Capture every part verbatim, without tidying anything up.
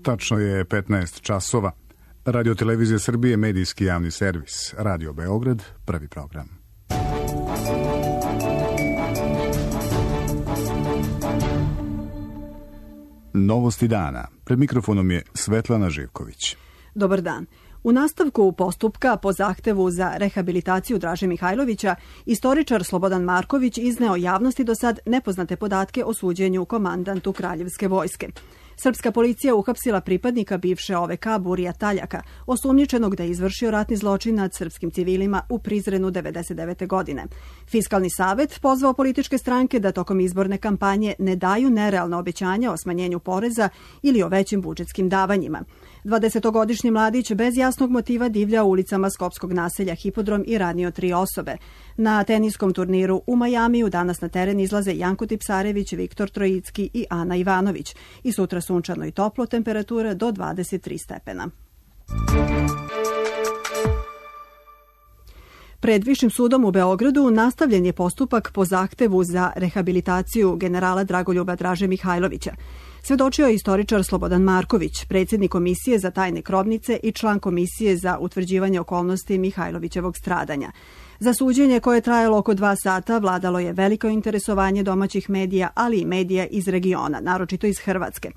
Tačno je petnaest časova. Radio Televizija Srbije, medijski javni servis. Radio Beograd, prvi program. Novosti dana. Pred mikrofonom je Svetlana Živković. Dobar dan. U nastavku postupka po zahtevu za rehabilitaciju Draže Mihajlovića, istoričar Slobodan Marković izneo javnosti do sad nepoznate podatke o suđenju komandantu Kraljevske vojske. Srpska policija uhapsila pripadnika bivše O V K Burija Taljaka, osumnjičenog da je izvršio ratni zločin nad srpskim civilima u Prizrenu devedeset devete. godine. Fiskalni savet pozvao političke stranke da tokom izborne kampanje ne daju nerealna obećanja o smanjenju poreza ili o većim budžetskim davanjima. dvadesetogodišnji mladić bez jasnog motiva divlja ulicama skopskog naselja Hipodrom i ranio tri osobe. Na teniskom turniru u Majamiju danas na teren izlaze Janko Tipsarević, Viktor Trojicki i Ana Ivanović. I sutra sunčano i toplo, temperatura do dvadeset tri stepena. Pred Višim sudom u Beogradu nastavljen je postupak po zahtevu za rehabilitaciju generala Dragoljuba Draže Mihajlovića. Svedočio je istoričar Slobodan Marković, predsjednik Komisije za tajne grobnice i član Komisije za utvrđivanje okolnosti Mihajlovićevog stradanja. Za suđenje koje je trajalo oko dva sata vladalo je veliko interesovanje domaćih medija, ali i medija iz regiona, naročito iz Hrvatske.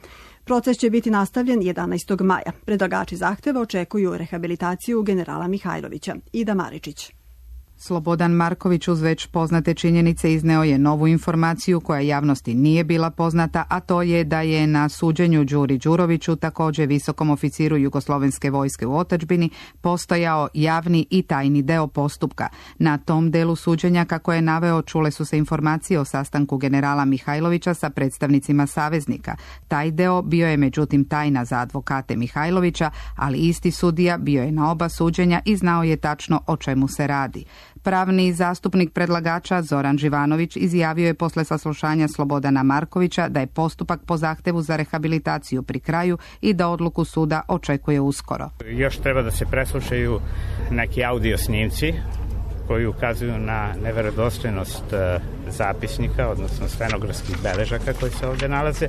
Proces će biti nastavljen jedanaestog maja. Predlagači zahteva očekuju rehabilitaciju generala Mihajlovića. Ida Maričić. Slobodan Marković uz već poznate činjenice izneo je novu informaciju koja javnosti nije bila poznata, a to je da je na suđenju Đuri Đuroviću, također visokom oficiru Jugoslovenske vojske u otadžbini, postojao javni i tajni deo postupka. Na tom delu suđenja, kako je naveo, čule su se informacije o sastanku generala Mihajlovića sa predstavnicima saveznika. Taj deo bio je međutim tajna za advokate Mihajlovića, ali isti sudija bio je na oba suđenja i znao je tačno o čemu se radi. Pravni zastupnik predlagača Zoran Živanović izjavio je posle saslušanja Slobodana Markovića da je postupak po zahtevu za rehabilitaciju pri kraju i da odluku suda očekuje uskoro. Još treba da se preslušaju neki audio snimci koji ukazuju na neverodostojnost zapisnika, odnosno stenografskih beležaka koji se ovdje nalaze.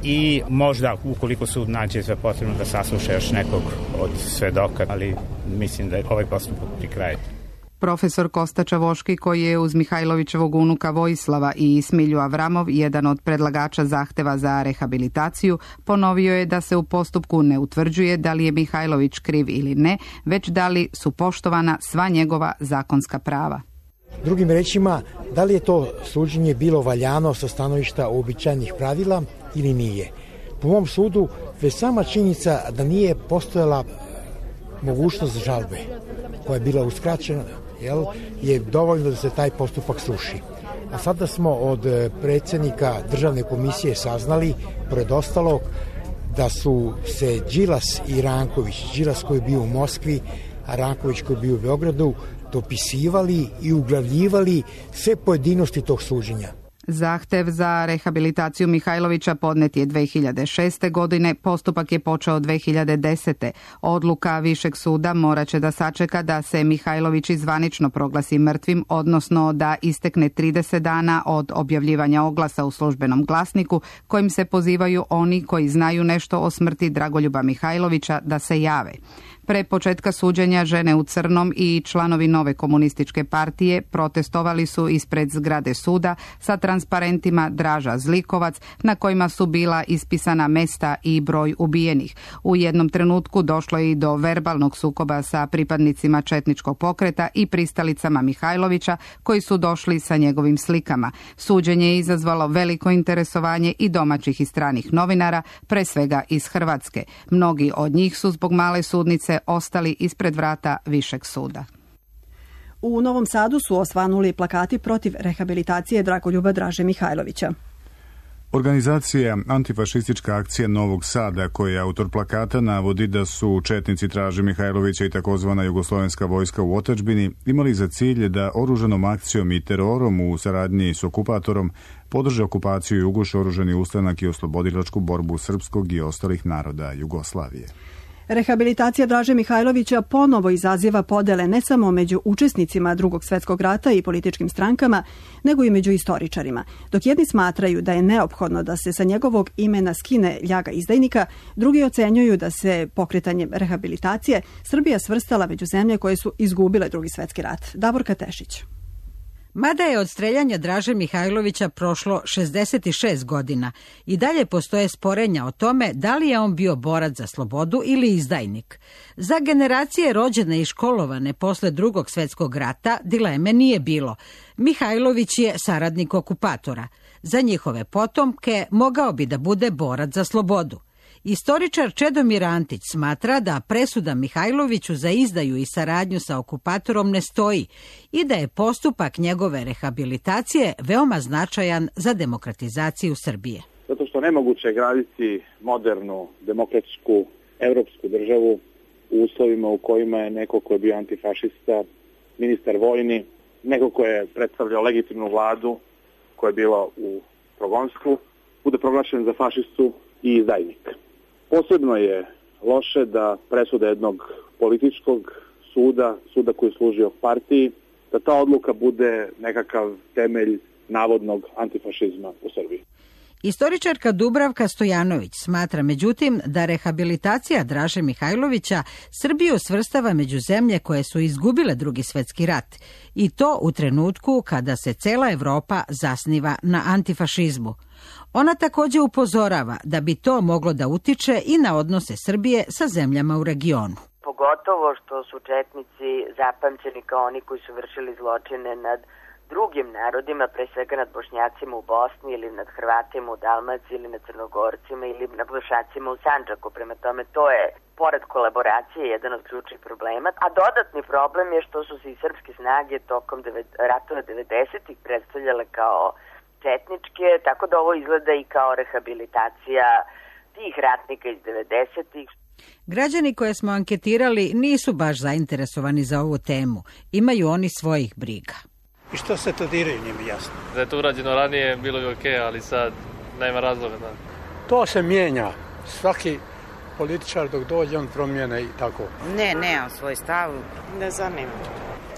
I možda, ukoliko sud nađe za potrebno, da sasluša još nekog od svedoka, ali mislim da je ovaj postupak pri kraju. Profesor Kosta Čavoški, koji je uz Mihajlovićevog unuka Vojislava i Smilju Avramov, jedan od predlagača zahteva za rehabilitaciju, ponovio je da se u postupku ne utvrđuje da li je Mihajlović kriv ili ne, već da li su poštovana sva njegova zakonska prava. Drugim rečima, da li je to suđenje bilo valjano sa stanovišta uobičajenih pravila ili nije. Po mom sudu, već sama činjenica da nije postojala mogućnost žalbe koja je bila uskraćena, jel, je dovoljno da se taj postupak sruši. A sada smo od predsjednika Državne komisije saznali, pored ostalog, da su se Đilas i Ranković, Đilas koji je bio u Moskvi, a Ranković koji je bio u Beogradu, dopisivali i uglavljivali sve pojedinosti tog suđenja. Zahtev za rehabilitaciju Mihajlovića podnet je dve hiljade šeste. godine, postupak je počeo dve hiljade desete. Odluka Višeg suda morat će da sačeka da se Mihajlović zvanično proglasi mrtvim, odnosno da istekne trideset dana od objavljivanja oglasa u Službenom glasniku kojim se pozivaju oni koji znaju nešto o smrti Dragoljuba Mihajlovića da se jave. Pre početka suđenja žene u crnom i članovi Nove komunističke partije protestovali su ispred zgrade suda sa transparentima Draža Zlikovac na kojima su bila ispisana mesta i broj ubijenih. U jednom trenutku došlo je i do verbalnog sukoba sa pripadnicima četničkog pokreta i pristalicama Mihajlovića koji su došli sa njegovim slikama. Suđenje je izazvalo veliko interesovanje i domaćih i stranih novinara, pre svega iz Hrvatske. Mnogi od njih su zbog male sudnice ostali ispred vrata Višeg suda. U Novom Sadu su osvanuli plakati protiv rehabilitacije Dragoljuba Draže Mihajlovića. Organizacija Antifašistička akcija Novog Sada, koja je autor plakata, navodi da su četnici Draže Mihajlovića i takozvana Jugoslovenska vojska u otadžbini imali za cilj da oružanom akcijom i terorom u saradnji s okupatorom podrže okupaciju i uguše oružani ustanak i oslobodilačku borbu srpskog i ostalih naroda Jugoslavije. Rehabilitacija Draže Mihajlovića ponovo izaziva podele ne samo među učesnicima Drugog svjetskog rata i političkim strankama, nego i među istoričarima. Dok jedni smatraju da je neophodno da se sa njegovog imena skine ljaga izdajnika, drugi ocenjuju da se pokretanjem rehabilitacije Srbija svrstala među zemlje koje su izgubile Drugi svjetski rat. Davorka Tešić. Mada je od streljanja Draže Mihajlovića prošlo šezdeset šest godina i dalje postoje sporenja o tome da li je on bio borac za slobodu ili izdajnik. Za generacije rođene i školovane posle Drugog svjetskog rata dileme nije bilo. Mihajlović je saradnik okupatora. Za njihove potomke mogao bi da bude borac za slobodu. Istoričar Čedomir Antić smatra da presuda Mihajloviću za izdaju i saradnju sa okupatorom ne stoji i da je postupak njegove rehabilitacije veoma značajan za demokratizaciju Srbije. Zato što nemoguće je graditi modernu, demokratsku, evropsku državu u uslovima u kojima je neko ko je bio antifašista, ministar vojni, neko ko je predstavljao legitimnu vladu koja je bila u progonstvu, bude proglašen za fašistu i izdajnik. Posebno je loše da presuda jednog političkog suda, suda koji je služio partiji, da ta odluka bude nekakav temelj navodnog antifašizma u Srbiji. Istoričarka Dubravka Stojanović smatra međutim da rehabilitacija Draže Mihajlovića Srbiju svrstava među zemlje koje su izgubile Drugi svjetski rat i to u trenutku kada se cela Evropa zasniva na antifašizmu. Ona također upozorava da bi to moglo da utiče i na odnose Srbije sa zemljama u regionu. Pogotovo što su četnici zapamćeni kao oni koji su vršili zločine nad drugim narodima, pre svega nad Bošnjacima u Bosni ili nad Hrvatima u Dalmaciji ili nad Crnogorcima ili nad Bošnjacima u Sandžaku. Prema tome to je, pored kolaboracije, jedan od ključnih problema. A dodatni problem je što su se i srpske snage tokom ratova devedesetih predstavljale kao četničke, tako da ovo izgleda i kao rehabilitacija tih ratnika iz devedesetih. Građani koje smo anketirali nisu baš zainteresovani za ovu temu. Imaju oni svojih briga. I što se to diraju, nije mi jasno. Da je to urađeno ranije, bilo bi okej, okay, ali sad nema razloga. Da. To se mijenja. Svaki političar dok dođe, on promijene i tako. Ne, nemam svoj stav. Ne zanima.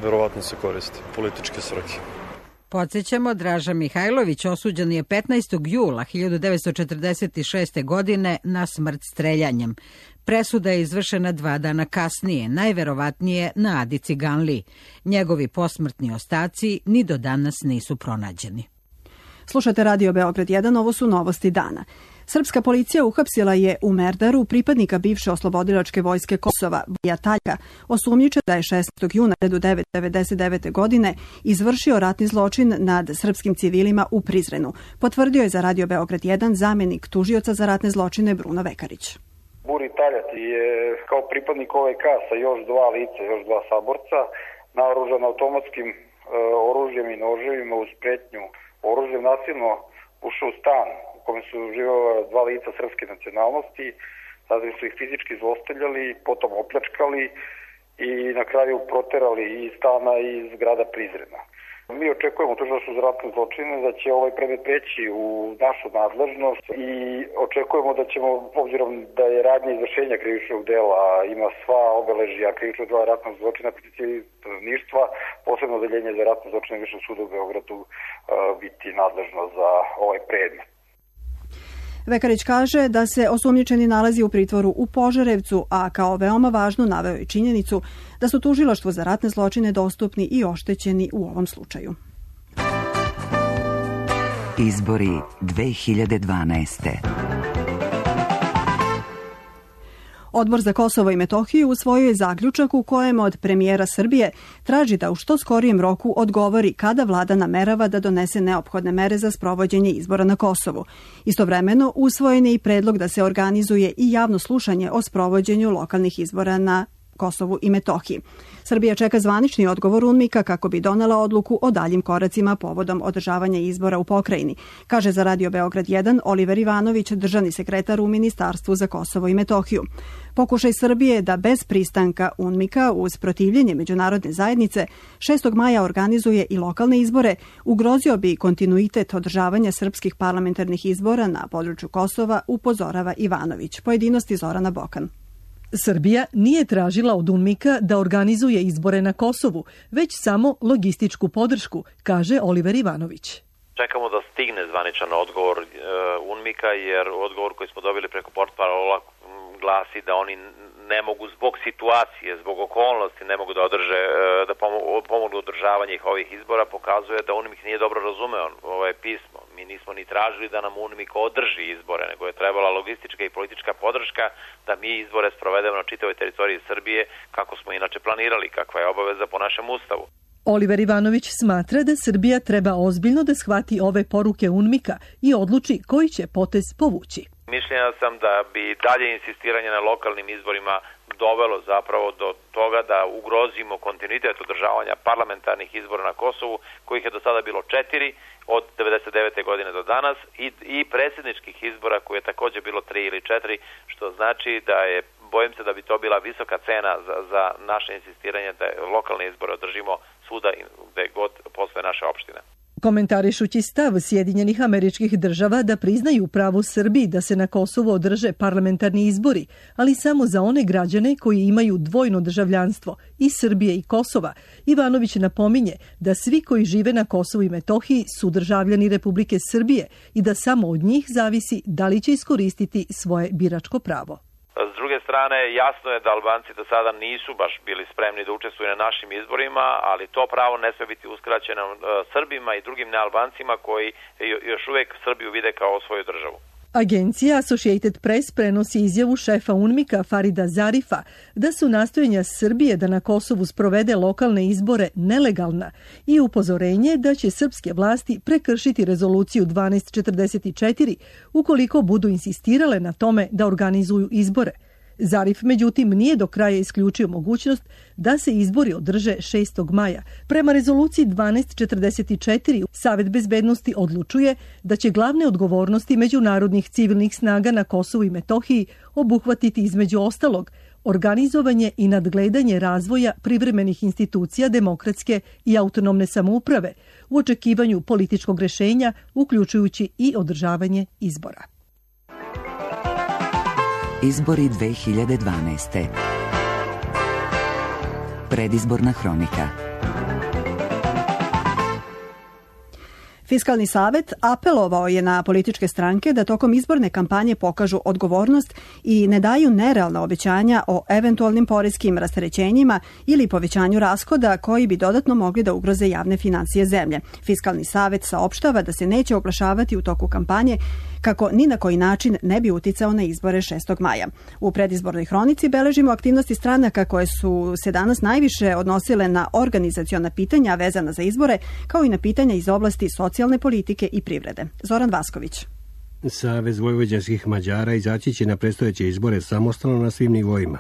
Verovatno se koristi političke svrhe. Podsjećamo, Draža Mihajlović osuđen je petnaestog jula hiljadu devetsto četrdeset šeste. godine na smrt streljanjem. Presuda je izvršena dva dana kasnije, najverovatnije na Adi Ciganliji. Njegovi posmrtni ostaci ni do danas nisu pronađeni. Slušate Radio Beograd jedan, ovo su novosti dana. Srpska policija uhapsila je u Merdaru pripadnika bivše oslobodilačke vojske Kosova, Boja Taljka, osumnjičen da je šestog juna hiljadu devetsto devedeset devete. godine izvršio ratni zločin nad srpskim civilima u Prizrenu. Potvrdio je za Radio Beograd jedan zamjenik tužioca za ratne zločine Bruno Vekarić. Buri Taljat je kao pripadnik O V K sa još dva lica, još dva saborca, naoružan automatskim e, oružjem i noževima uz pretnju oružjem nasilno ušao u stan u kome su živjela dva lica srpske nacionalnosti, zatim su ih fizički zlostavljali, potom opljačkali i na kraju proterali iz stana i iz grada Prizrena. Mi očekujemo tužilaštvo za ratne zločine da će ovaj predmet preći u našu nadležnost i očekujemo da ćemo, obzirom da je radnja izvršenja krivičnog dela, ima sva obeležja krivičnog dela ratnog zločina protiv stanovništva, posebno odeljenje za ratne zločine Višeg suda u Beogradu biti nadležno za ovaj predmet. Vekarić kaže da se osumnjičeni nalazi u pritvoru u Požarevcu, a kao veoma važno naveo je činjenicu da su tužilaštvu za ratne zločine dostupni i oštećeni u ovom slučaju. Izbori dve hiljade dvanaeste. Odbor za Kosovo i Metohiju usvojio je zaključak u kojem od premijera Srbije traži da u što skorijem roku odgovori kada vlada namerava da donese neophodne mere za sprovođenje izbora na Kosovu. Istovremeno usvojen je i predlog da se organizuje i javno slušanje o sprovođenju lokalnih izbora na Kosovu i Metohiji. Srbija čeka zvanični odgovor UNMIK-a kako bi donela odluku o daljim koracima povodom održavanja izbora u pokrajini, kaže za Radio Beograd jedan Oliver Ivanović, državni sekretar u Ministarstvu za Kosovo i Metohiju. Pokušaj Srbije da bez pristanka UNMIK-a uz protivljenje međunarodne zajednice šestog maja organizuje i lokalne izbore, ugrozio bi kontinuitet održavanja srpskih parlamentarnih izbora na području Kosova, upozorava Ivanović. Pojedinosti Zorana Bokan. Srbija nije tražila od UNMIK-a da organizuje izbore na Kosovu, već samo logističku podršku, kaže Oliver Ivanović. Čekamo da stigne zvaničan odgovor uh, UNMIK-a, jer odgovor koji smo dobili preko portparola glasi da oni ne mogu zbog situacije, zbog okolnosti ne mogu da održe, da pomognu održavanje ovih izbora, pokazuje da UNMIK nije dobro razumeo ovaj pismo. Mi nismo ni tražili da nam UNMIK održi izbore, nego je trebala logistička i politička podrška da mi izbore sprovedemo na čitavoj teritoriji Srbije kako smo inače planirali, kakva je obaveza po našem ustavu. Oliver Ivanović smatra da Srbija treba ozbiljno da shvati ove poruke UNMIK-a i odluči koji će potez povući. Mišljenja sam da bi dalje insistiranje na lokalnim izborima dovelo zapravo do toga da ugrozimo kontinuitet održavanja parlamentarnih izbora na Kosovu, kojih je do sada bilo četiri od devedeset devete godine do danas, i, i predsjedničkih izbora koje je također bilo tri ili četiri, što znači da je, bojim se da bi to bila visoka cena za, za naše insistiranje da lokalne izbore održimo svuda gde god postoje naše opštine. Komentarišući stav Sjedinjenih Američkih Država da priznaju pravo Srbiji da se na Kosovu održe parlamentarni izbori, ali samo za one građane koji imaju dvojno državljanstvo i Srbije i Kosova, Ivanović napominje da svi koji žive na Kosovu i Metohiji su državljani Republike Srbije i da samo od njih zavisi da li će iskoristiti svoje biračko pravo. S druge strane, jasno je da Albanci do sada nisu baš bili spremni da učestvuju na našim izborima, ali to pravo ne sme biti uskraćeno Srbima i drugim nealbancima koji još uvijek Srbiju vide kao svoju državu. Agencija Associated Press prenosi izjavu šefa UNMIK-a Farida Zarifa da su nastojanja Srbije da na Kosovu sprovede lokalne izbore nelegalna i upozorenje da će srpske vlasti prekršiti rezoluciju dvanaest četrdeset četiri ukoliko budu insistirale na tome da organizuju izbore. Zarif, međutim, nije do kraja isključio mogućnost da se izbori održe šestog maja. Prema rezoluciji dvanaest četrdeset četiri, Savet bezbednosti odlučuje da će glavne odgovornosti međunarodnih civilnih snaga na Kosovu i Metohiji obuhvatiti između ostalog organizovanje i nadgledanje razvoja privremenih institucija demokratske i autonomne samouprave u očekivanju političkog rešenja, uključujući i održavanje izbora. Izbori dve hiljade dvanaeste. Predizborna hronika. Fiskalni savet apelovao je na političke stranke da tokom izborne kampanje pokažu odgovornost i ne daju nerealna obećanja o eventualnim poreskim rasterećenjima ili povećanju rashoda koji bi dodatno mogli da ugroze javne financije zemlje. Fiskalni savet saopštava da se neće oglašavati u toku kampanje kako ni na koji način ne bi uticao na izbore šestog maja. U predizbornoj hronici beležimo aktivnosti stranaka koje su se danas najviše odnosile na organizaciona pitanja vezana za izbore, kao i na pitanja iz oblasti socijalne politike i privrede. Zoran Vasković. Savez vojvođanskih Mađara izaći će na predstojeće izbore samostalno na svim nivoima.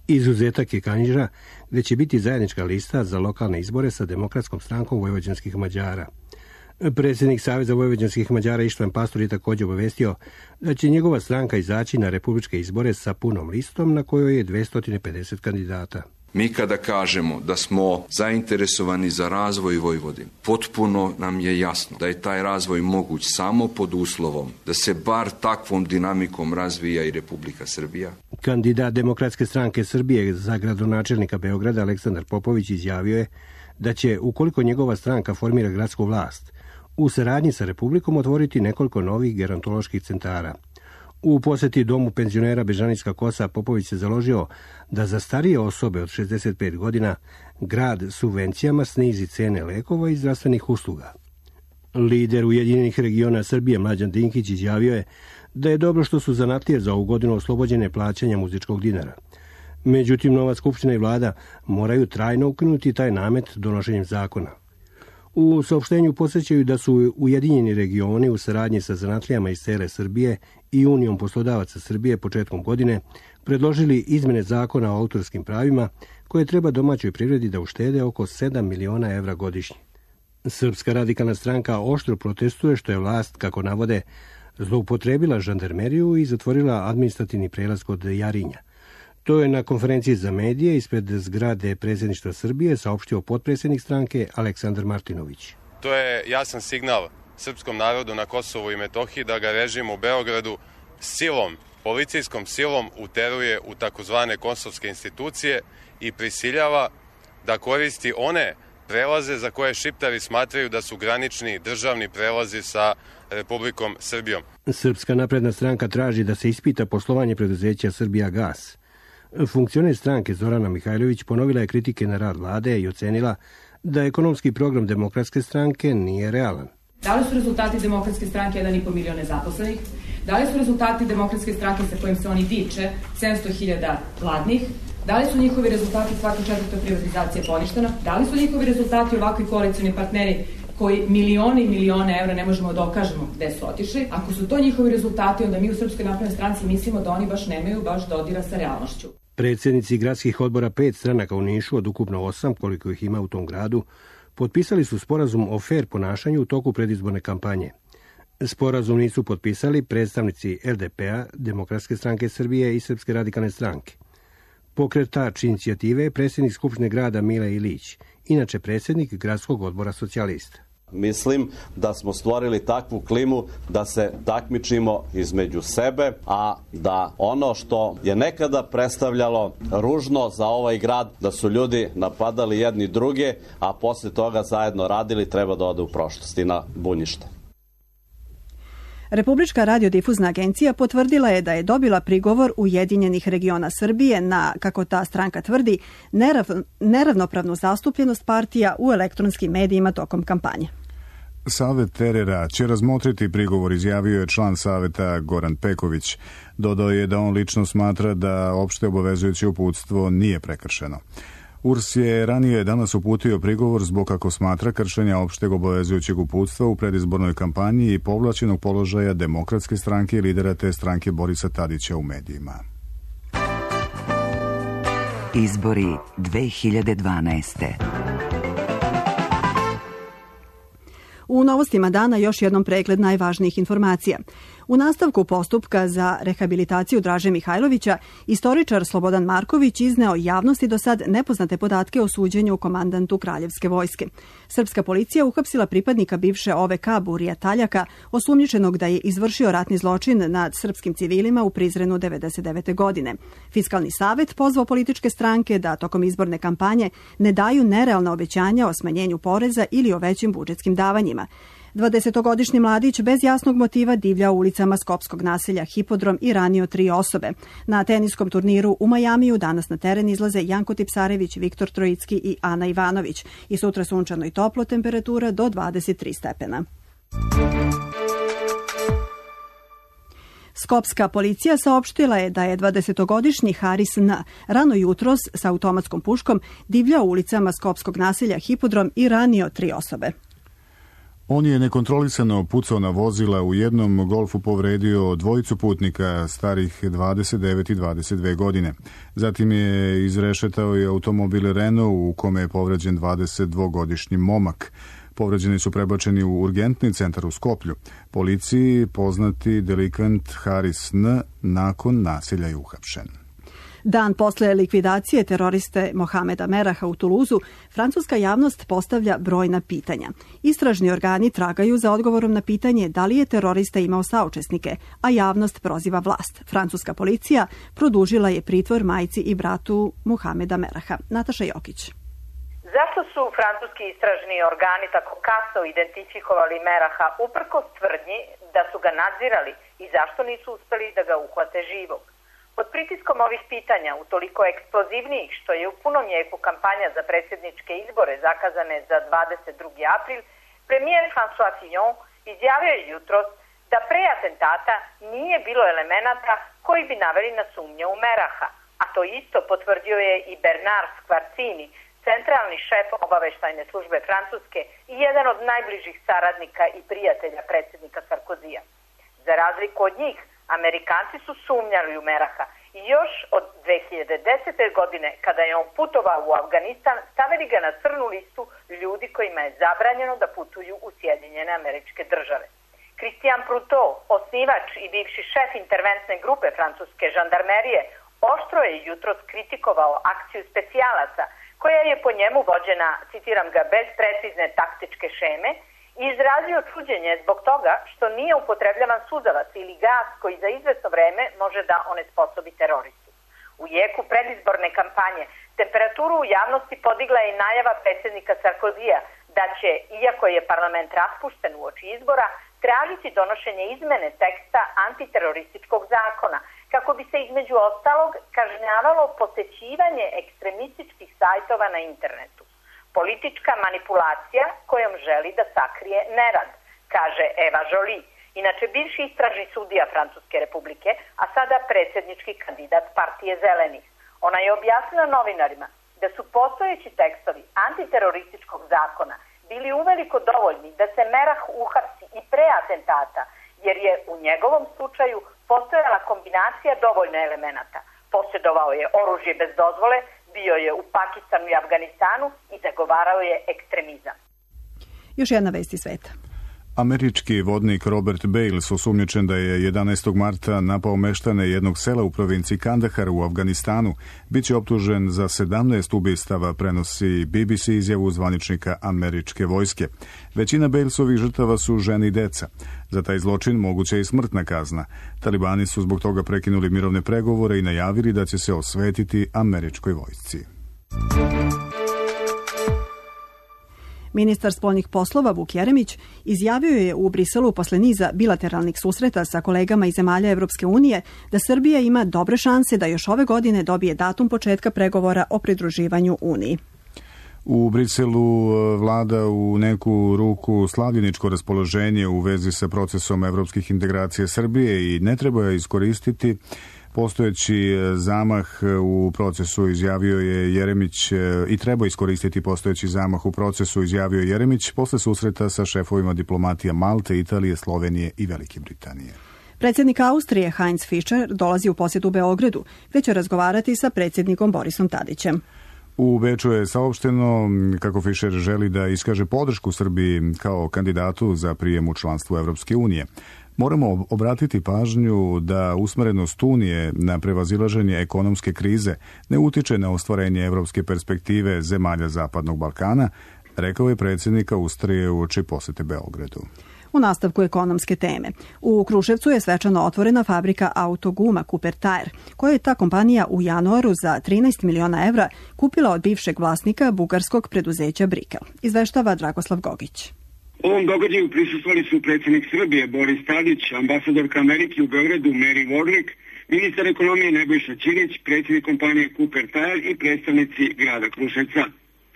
Izuzetak je Kanjiža, gde će biti zajednička lista za lokalne izbore sa Demokratskom strankom vojvođanskih Mađara. Predsjednik Saveza vojvođanskih Mađara Ištvan Pastor je također obavestio da će njegova stranka izaći na republičke izbore sa punom listom na kojoj je dvesta pedeset kandidata. Mi kada kažemo da smo zainteresovani za razvoj Vojvodine, potpuno nam je jasno da je taj razvoj moguć samo pod uslovom da se bar takvom dinamikom razvija i Republika Srbija. Kandidat Demokratske stranke Srbije za gradonačelnika Beograda Aleksandar Popović izjavio je da će, ukoliko njegova stranka formira gradsku vlast, u saradnji sa Republikom otvoriti nekoliko novih gerontoloških centara. U posjeti domu penzionera Bežanijska Kosa Popović se založio da za starije osobe od šezdeset pet godina grad subvencijama snizi cene lekova i zdravstvenih usluga. Lider Ujedinjenih regiona Srbije Mlađan Dinkić izjavio je da je dobro što su zanatlije za ovu godinu oslobođene plaćanja muzičkog dinara. Međutim, nova skupština i vlada moraju trajno ukinuti taj namet donošenjem zakona. U saopštenju podsjećaju da su Ujedinjeni regioni u saradnji sa zanatlijama iz cele Srbije i Unijom poslodavaca Srbije početkom godine predložili izmene zakona o autorskim pravima koje treba domaćoj privredi da uštede oko sedam miliona evra godišnje. Srpska radikalna stranka oštro protestuje što je vlast, kako navode, zloupotrebila žandarmeriju i zatvorila administrativni prelaz kod Jarinja. To je na konferenciji za medije ispred zgrade predsjedništva Srbije saopštio potpredsjednik stranke Aleksandar Martinović. To je jasan signal srpskom narodu na Kosovu i Metohiji da ga režim u Beogradu silom policijskom silom uteruje u takozvane kosovske institucije i prisiljava da koristi one prelaze za koje Šiptari smatraju da su granični državni prelazi sa Republikom Srbijom. Srpska napredna stranka traži da se ispita poslovanje preduzeća Srbijagas. Funkcioner stranke Zorana Mihajlović ponovila je kritike na rad vlade i ocenila da ekonomski program Demokratske stranke nije realan. Da li su rezultati Demokratske stranke jedan i po milion nezaposlenih? Da li su rezultati Demokratske stranke sa kojim se oni diče sedamsto hiljada gladnih? Da li su njihovi rezultati svaka četvrta privatizacija poništena? Da li su njihovi rezultati ovakvi koalicioni partneri koji milione i milione evra ne možemo da dokažemo gde su otišli? Ako su to njihovi rezultati, onda mi u Srpskoj naprednoj stranci mislimo da oni baš nemaju baš dodira sa realnošću. Predsjednici gradskih odbora pet stranaka u Nišu, od ukupno osam, koliko ih ima u tom gradu, potpisali su sporazum o fair ponašanju u toku predizborne kampanje. Sporazum nisu potpisali predstavnici L D P-a, Demokratske stranke Srbije i Srpske radikalne stranke. Pokretač inicijative je predsjednik Skupštine grada Mile Ilić, inače predsjednik gradskog odbora socijalista. Mislim da smo stvorili takvu klimu da se takmičimo između sebe, a da ono što je nekada predstavljalo ružno za ovaj grad, da su ljudi napadali jedni druge, a posle toga zajedno radili, treba da ode u prošlost i na bunjište. Republička radiodifuzna agencija potvrdila je da je dobila prigovor Ujedinjenih regiona Srbije na, kako ta stranka tvrdi, nerav, neravnopravnu zastupljenost partija u elektronskim medijima tokom kampanje. Savet Terera će razmotriti prigovor, izjavio je član saveta Goran Peković. Dodao je da on lično smatra da opšte obavezujuće uputstvo nije prekršeno. U R S je ranije danas uputio prigovor zbog, kako smatra, kršenja opšteg obavezujućeg uputstva u predizbornoj kampanji i povlačenog položaja Demokratske stranke i lidera te stranke Borisa Tadića u medijima. Izbori dve hiljade dvanaeste. U novostima dana još jednom pregled najvažnijih informacija. U nastavku postupka za rehabilitaciju Draže Mihajlovića, istoričar Slobodan Marković izneo javnosti do sad nepoznate podatke o suđenju komandantu Kraljevske vojske. Srpska policija uhapsila pripadnika bivše O V K Burija Taljaka, osumnjičenog da je izvršio ratni zločin nad srpskim civilima u Prizrenu devedeset devete. godine. Fiskalni savet pozvao političke stranke da tokom izborne kampanje ne daju nerealna obećanja o smanjenju poreza ili o većim budžetskim davanjima. dvadesetogodišnji mladić bez jasnog motiva divlja ulicama skopskog naselja Hipodrom i ranio tri osobe. Na teniskom turniru u Majamiju danas na teren izlaze Janko Tipsarević, Viktor Trojicki i Ana Ivanović. I sutra sunčano i toplo, temperatura do dvadeset tri stepena. Skopska policija saopštila je da je dvadesetogodišnji Haris N. rano jutros sa automatskom puškom divljao ulicama skopskog naselja Hipodrom i ranio tri osobe. On je nekontrolisano pucao na vozila, u jednom golfu povredio dvojicu putnika starih dvadeset devet i dvadeset dve godine. Zatim je izrešetao i automobil Renault u kome je povređen dvadesetdvogodišnji momak. Povređeni su prebačeni u urgentni centar u Skoplju. Policiji poznati delikvent Haris N. nakon nasilja je uhapšen. Dan posle likvidacije teroriste Mohameda Meraha u Tuluzu, francuska javnost postavlja brojna pitanja. Istražni organi tragaju za odgovorom na pitanje da li je terorista imao saučesnike, a javnost proziva vlast. Francuska policija produžila je pritvor majci i bratu Mohameda Meraha. Nataša Jokić. Zašto su francuski istražni organi tako kasno identifikovali Meraha uprkos tvrdnji da su ga nadzirali i zašto nisu uspeli da ga uhvate živog? Pod pritiskom ovih pitanja, utoliko eksplozivnijih što je u punom jeku kampanja za predsjedničke izbore zakazane za dvadeset drugi april, premijer François Fillon izjavio je jutros da pre atentata nije bilo elemenata koji bi naveli na sumnje u Meraha, a to isto potvrdio je i Bernard Skvarcini, centralni šef obaveštajne službe Francuske i jedan od najbližih saradnika i prijatelja predsjednika Sarkozija. Za razliku od njih, Amerikanci su sumnjali u Meraha i još od dve hiljade desete. godine, kada je on putovao u Afganistan, stavili ga na crnu listu ljudi kojima je zabranjeno da putuju u Sjedinjene Američke Države. Christian Prutot, osnivač i bivši šef interventne grupe francuske žandarmerije, oštro je jutros kritikovao akciju specijalaca, koja je po njemu vođena, citiram ga, bez precizne taktičke šeme i izrazio čuđenje zbog toga što nije upotrebljavan suzavac ili gas koji za izvesno vreme može da onesposobi teroristu. U jeku predizborne kampanje temperaturu u javnosti podigla je i najava predsjednika Sarkozija da će, iako je parlament raspušten uoči izbora, tražiti donošenje izmene teksta antiterorističkog zakona, kako bi se između ostalog kažnjavalo posećivanje ekstremističkih sajtova na internetu. Politička manipulacija kojom želi da sakrije nerad, kaže Eva Joly, inače bivši istražni sudija Francuske republike, a sada predsjednički kandidat partije Zelenih. Ona je objasnila novinarima da su postojeći tekstovi antiterorističkog zakona bili uveliko dovoljni da se Merah uhapsi i pre atentata, jer je u njegovom slučaju postojala kombinacija dovoljno elemenata. Posjedovao je oružje bez dozvole, bio je u Pakistanu i Afganistanu i zagovarao je ekstremizam. Još jedna vest iz sveta. Američki vodnik Robert Bales osumnjičen da je jedanaestog marta napao meštane jednog sela u provinciji Kandahar u Afganistanu. Biće optužen za sedamnaest ubistava, prenosi B B C izjavu zvaničnika američke vojske. Većina Balesovih žrtava su žene i deca. Za taj zločin moguća je i smrtna kazna. Talibani su zbog toga prekinuli mirovne pregovore i najavili da će se osvetiti američkoj vojsci. Ministar spoljnih poslova Vuk Jeremić izjavio je u Briselu posle niza bilateralnih susreta sa kolegama iz zemalja Evropske unije da Srbija ima dobre šanse da još ove godine dobije datum početka pregovora o pridruživanju Uniji. U Briselu vlada u neku ruku slavljeničko raspoloženje u vezi sa procesom evropskih integracija Srbije i ne treba je iskoristiti. Postojeći zamah u procesu, izjavio je Jeremić, i treba iskoristiti postojeći zamah u procesu, izjavio je Jeremić posle susreta sa šefovima diplomatija Malte, Italije, Slovenije i Velike Britanije. Predsjednik Austrije Heinz Fischer dolazi u posjetu Beogradu, gdje će razgovarati sa predsjednikom Borisom Tadićem. U Beču je saopšteno kako Fischer želi da iskaže podršku Srbiji kao kandidatu za prijem u članstvo Evropske unije. Moramo obratiti pažnju da usmerenost Unije na prevazilaženje ekonomske krize ne utiče na ostvarenje evropske perspektive zemalja Zapadnog Balkana, rekao je predsjednik Austrije uoči posete Beogradu. U nastavku ekonomske teme. U Kruševcu je svečano otvorena fabrika autoguma Cooper Tire, koja je ta kompanija u januaru za trinaest miliona evra kupila od bivšeg vlasnika bugarskog preduzeća Brikel. Izveštava Dragoslav Gogić. Ovom događaju prisustvovali su predsjednik Srbije Boris Tadić, ambasadorka Amerike u Beogradu Mary Warlick, ministar ekonomije Nebojša Ćirić, predsjednik kompanije Cooper Tire i predstavnici grada Kruševca.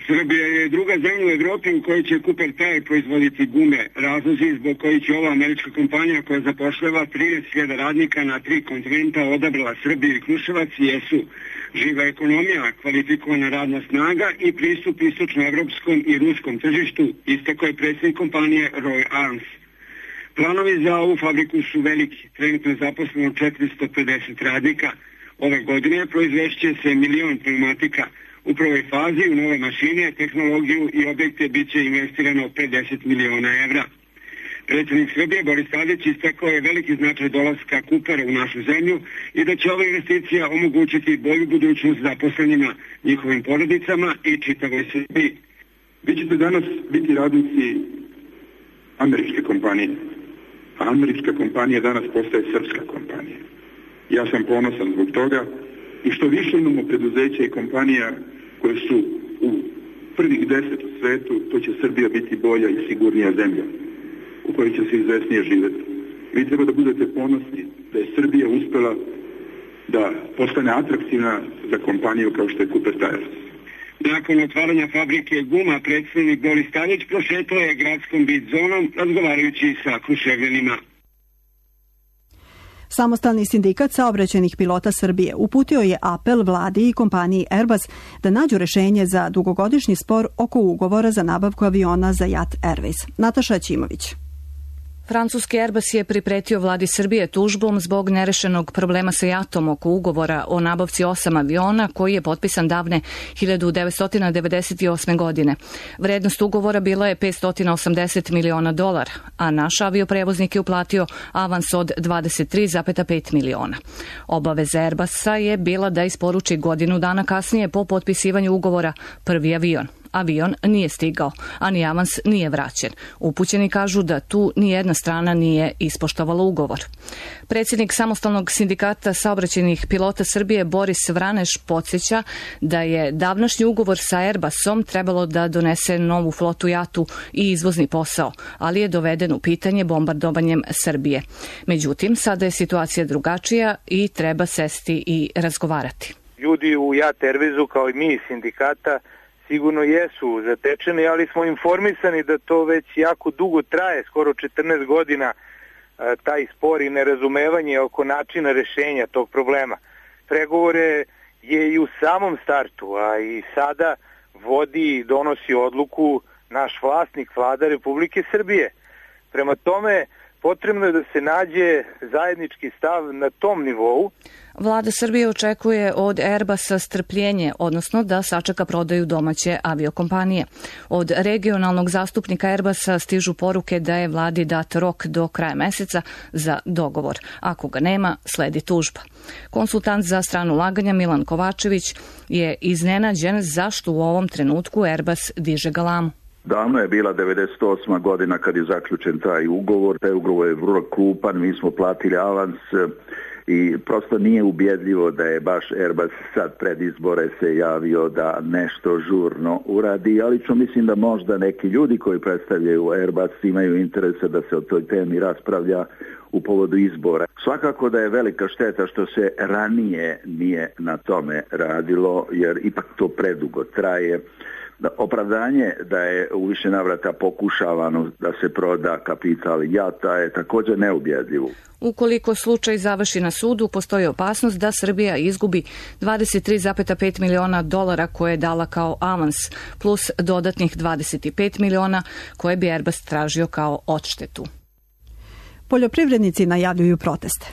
Srbija je druga zemlja u Evropi u kojoj će Cooper Tire proizvoditi gume. Razlozi zbog koji će ova američka kompanija koja zapošljava trideset hiljada radnika na tri kontinenta odabrala Srbiju i Kruševac jesu živa ekonomija, kvalifikovana radna snaga i pristup istočnoevropskom i ruskom tržištu, istakao je predsjednik kompanije Roy Arms. Planovi za ovu fabriku su veliki, trenutno je zaposleno četiristo pedeset radnika. Ove godine proizvešće se milion pneumatika. U prvoj fazi u nove mašine, tehnologiju i objekte bit će investirano pedeset miliona evra. Predsjednik Srbije Boris Tadić istakao je veliki značaj dolaska Coopera u našu zemlju i da će ova investicija omogućiti bolju budućnost zaposlenima, njihovim porodicama i čitavoj Srbiji. Vi ćete danas biti radnici američke kompanije, a američka kompanija danas postaje srpska kompanija. Ja sam ponosan zbog toga i što više imamo preduzeća i kompanija koje su u prvih deset u svetu, to će Srbija biti bolja i sigurnija zemlja u kojoj će se izvesnije živjeti. Vi treba da budete ponosni da je Srbija uspela da postane atraktivna za kompaniju kao što je Cooper Tire. Nakon otvaranja fabrike guma, predsjednik Boris Tadić prošetao je gradskom bit zonom razgovarajući sa Kruševljanima. Samostalni sindikat saobraćajnih pilota Srbije uputio je apel vladi i kompaniji Airbus da nađu rešenje za dugogodišnji spor oko ugovora za nabavku aviona za Jat Airways. Nataša Ćimović. Francuski Airbus je pripretio vladi Srbije tužbom zbog nerešenog problema sa Jatom oko ugovora o nabavci osam aviona koji je potpisan davne hiljadu devetsto devedeset osme. godine. Vrednost ugovora bila je petsto osamdeset miliona dolara, a naš avioprevoznik je uplatio avans od dvadeset tri zarez pet miliona. Obaveza Airbusa je bila da isporuči godinu dana kasnije po potpisivanju ugovora prvi avion. Avion nije stigao, a ni avans nije vraćen. Upućeni kažu da tu ni jedna strana nije ispoštovala ugovor. Predsjednik Samostalnog sindikata saobraćajnih pilota Srbije Boris Vraneš podsjeća da je davnašnji ugovor sa Airbusom trebalo da donese novu flotu jatu i izvozni posao, ali je doveden u pitanje bombardovanjem Srbije. Međutim, sada je situacija drugačija i treba sesti i razgovarati. Ljudi u Jat Airwaysu, kao i mi iz sindikata, sigurno jesu zatečeni, ali smo informisani da to već jako dugo traje, skoro četrnaest godina, taj spor i nerazumevanje oko načina rešenja tog problema. Pregovore je i u samom startu, a i sada vodi i donosi odluku naš vlasnik, Vlada Republike Srbije. Prema tome, potrebno je da se nađe zajednički stav na tom nivou. Vlada Srbije očekuje od Airbusa strpljenje, odnosno da sačeka prodaju domaće aviokompanije. Od regionalnog zastupnika Airbusa stižu poruke da je vladi dat rok do kraja meseca za dogovor. Ako ga nema, sledi tužba. Konsultant za stranu ulaganja Milan Kovačević je iznenađen zašto u ovom trenutku Airbus diže galamu. Davno je bila devedeset osma godina kad je zaključen taj ugovor. Taj ugovor je vrlo krupan, mi smo platili avans i prosto nije ubjedljivo da je baš Airbus sad pred izbore se javio da nešto žurno uradi, ali što mislim da možda neki ljudi koji predstavljaju Airbus imaju interesa da se o toj temi raspravlja u povodu izbora. Svakako da je velika šteta što se ranije nije na tome radilo, jer ipak to predugo traje. Opravdanje da je u više navrata pokušavano da se proda kapital Jata je također neubjedljivo. Ukoliko slučaj završi na sudu, postoji opasnost da Srbija izgubi dvadeset tri zarez pet miliona dolara koje je dala kao avans, plus dodatnih dvadeset pet miliona koje bi Airbus tražio kao odštetu. Poljoprivrednici najavljuju proteste.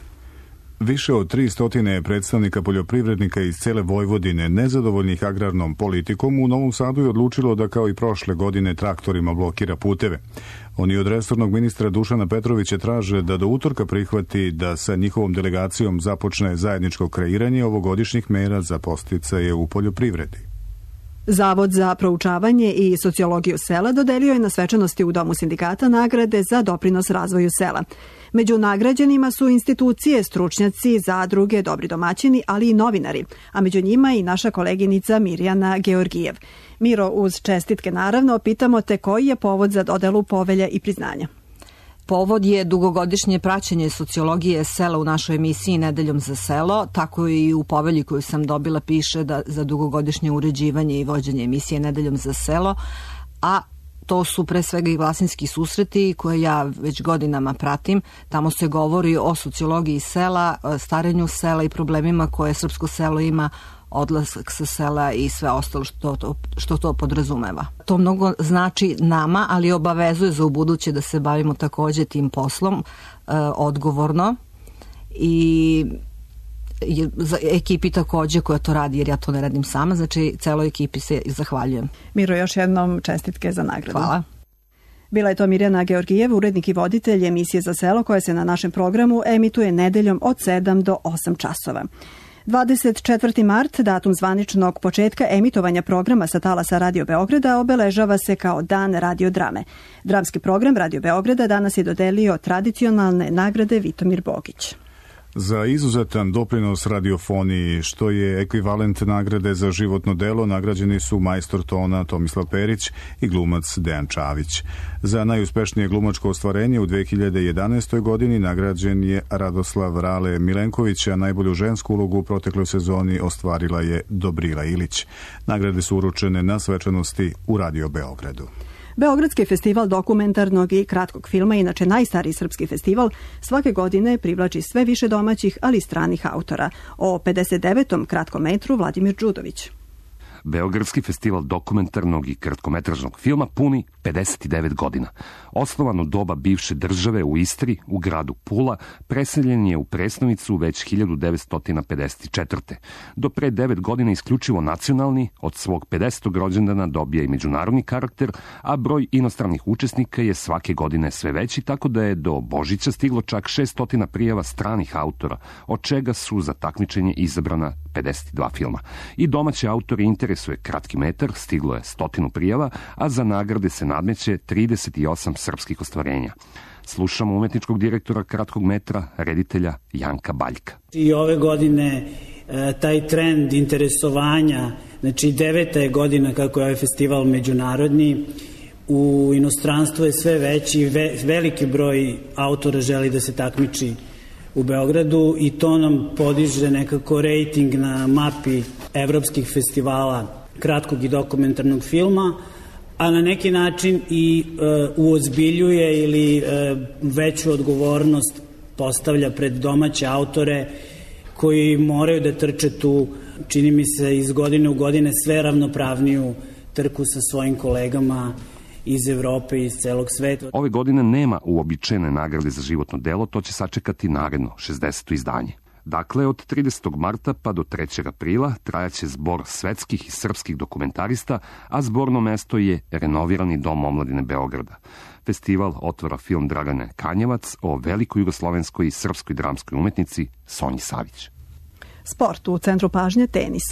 Više od tristo predstavnika poljoprivrednika iz cele Vojvodine nezadovoljnih agrarnom politikom u Novom Sadu je odlučilo da kao i prošle godine traktorima blokira puteve. Oni od resornog ministra Dušana Petrovića traže da do utorka prihvati da sa njihovom delegacijom započne zajedničko kreiranje ovogodišnjih mera za podsticaje u poljoprivredi. Zavod za proučavanje i sociologiju sela dodelio je na svečanosti u Domu sindikata nagrade za doprinos razvoju sela. Među nagrađenima su institucije, stručnjaci, zadruge, dobri domaćini, ali i novinari, a među njima i naša koleginica Mirjana Georgijev. Miro, uz čestitke naravno, pitamo te koji je povod za dodelu povelja i priznanja. Povod je dugogodišnje praćenje sociologije sela u našoj emisiji Nedeljom za selo, tako i u povelji koju sam dobila piše da za dugogodišnje uređivanje i vođenje emisije Nedeljom za selo, a to su pre svega i Vlasinski susreti koje ja već godinama pratim. Tamo se govori o sociologiji sela, starenju sela i problemima koje srpsko selo ima, odlazak sa sela i sve ostalo što to, što to podrazumeva. To mnogo znači nama, ali obavezuje za ubuduće da se bavimo također tim poslom e, odgovorno i je, za ekipi također koja to radi, jer ja to ne radim sama, znači celoj ekipi se zahvaljujem. Miro, još jednom čestitke za nagradu. Hvala. Bila je to Mirjana Georgijev, urednik i voditelj emisije za selo koja se na našem programu emituje nedeljom od sedam do osam časova. dvadeset četvrti mart, datum zvaničnog početka emitovanja programa sa talasa Radio Beograda, obeležava se kao Dan radiodrame. Dramski program Radio Beograda danas je dodelio tradicionalne nagrade Vitomir Bogić. Za izuzetan doprinos radiofoniji, što je ekvivalent nagrade za životno delo, nagrađeni su majstor tona Tomislav Perić i glumac Dejan Čavić. Za najuspešnije glumačko ostvarenje u dve hiljade jedanaestoj godini nagrađen je Radoslav Rale Milenković, a najbolju žensku ulogu u protekloj sezoni ostvarila je Dobrila Ilić. Nagrade su uručene na svečanosti u Radio Beogradu. Beogradski festival dokumentarnog i kratkog filma, inače najstariji srpski festival, svake godine privlači sve više domaćih, ali i stranih autora. O pedeset devetom kratkom metru Vladimir Đudović. Beogradski festival dokumentarnog i kratkometražnog filma puni pedeset devet godina. Osnovan u doba bivše države u Istri, u gradu Pula, preseljen je u Presnovicu već hiljadu devetsto pedeset četvrte. Do pre devet godina isključivo nacionalni, od svog pedesetog rođendana dobija i međunarodni karakter, a broj inostranih učesnika je svake godine sve veći, tako da je do Božića stiglo čak šesto prijava stranih autora, od čega su za takmičenje izabrana pedeset dva filma. I domaći autori interes interesuje kratki metar, stiglo je stotinu prijava, a za nagrade se nadmeće trideset osam srpskih ostvarenja. Slušamo umetničkog direktora kratkog metra, reditelja Janka Baljka. I ove godine taj trend interesovanja, znači deveta je godina kako je ovaj festival međunarodni, u inostranstvu je sve veći, ve, veliki broj autora želi da se takmiči u Beogradu i to nam podiže nekako rejting na mapi evropskih festivala kratkog i dokumentarnog filma, a na neki način i e, uozbiljuje ili e, veću odgovornost postavlja pred domaće autore koji moraju da trče tu, čini mi se, iz godine u godine sve ravnopravniju trku sa svojim kolegama iz Evrope i iz celog sveta. Ove godine nema uobičajene nagrade za životno delo, to će sačekati naredno šezdeseto izdanje. Dakle, od tridesetog marta pa do trećeg aprila trajaće zbor svetskih i srpskih dokumentarista, a zborno mesto je renovirani Dom omladine Beograda. Festival otvara film Dragane Kanjevac o velikoj jugoslovenskoj i srpskoj dramskoj umetnici Sonji Savić. Sport, u centru pažnje tenis.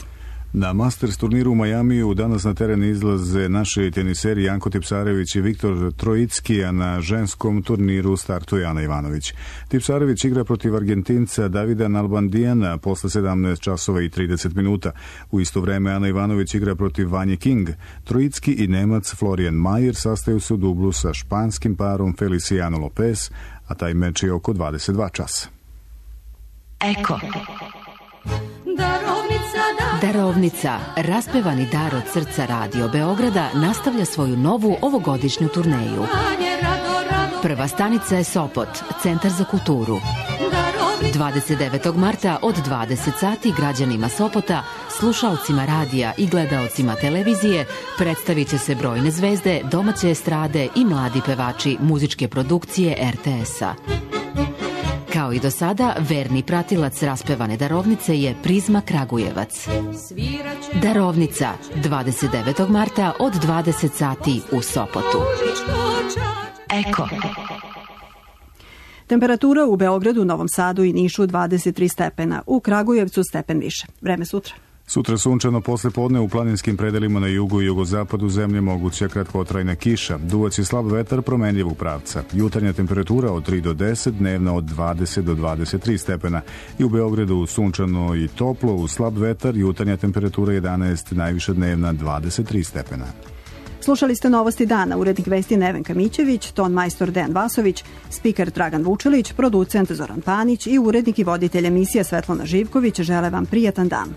Na Masters turniru u Majamiju danas na teren izlaze naši teniseri Janko Tipsarević i Viktor Trojicki, a na ženskom turniru startuje Ana Ivanović. Tipsarević igra protiv Argentinca Davida Nalbandijana posle sedamnaest časova i trideset minuta. U isto vreme Ana Ivanović igra protiv Vanje King. Trojicki i Nemac Florian Mayer sastaju se u dublu sa španskim parom Feliciano Lopez, a taj meč je oko dvadeset dva časa. Eko. Darovnica, raspevani dar od srca Radio Beograda, nastavlja svoju novu ovogodišnju turneju. Prva stanica je Sopot, Centar za kulturu. dvadeset devetog marta od dvadeset sati građanima Sopota, slušaocima radija i gledaocima televizije predstavit će se brojne zvezde, domaće estrade i mladi pevači muzičke produkcije er te es-a. Kao i do sada, verni pratilac raspevane darovnice je Prizma Kragujevac. Darovnica, dvadeset devetog marta od dvadeset sati u Sopotu. Eko. Temperatura u Beogradu, Novom Sadu i Nišu dvadeset tri stepena, u Kragujevcu stepen više. Vreme sutra. Sutra sunčano posle podne u planinskim predelima na jugu i jugozapadu zemlje moguća kratkotrajna kiša. Duvaće slab vetar promenljivog pravca. Jutarnja temperatura od tri do deset, dnevna od dvadeset do dvadeset tri stepena. I u Beogradu sunčano i toplo, uz slab vetar, jutarnja temperatura jedanaest, najviša dnevna dvadeset tri stepena. Slušali ste Novosti dana, urednik vesti Nevenka Mićević, ton majstor Dejan Vasović, spiker Dragan Vučelić, producent Zoran Panić i urednik i voditelj emisije Svetlana Živković žele vam prijatan dan.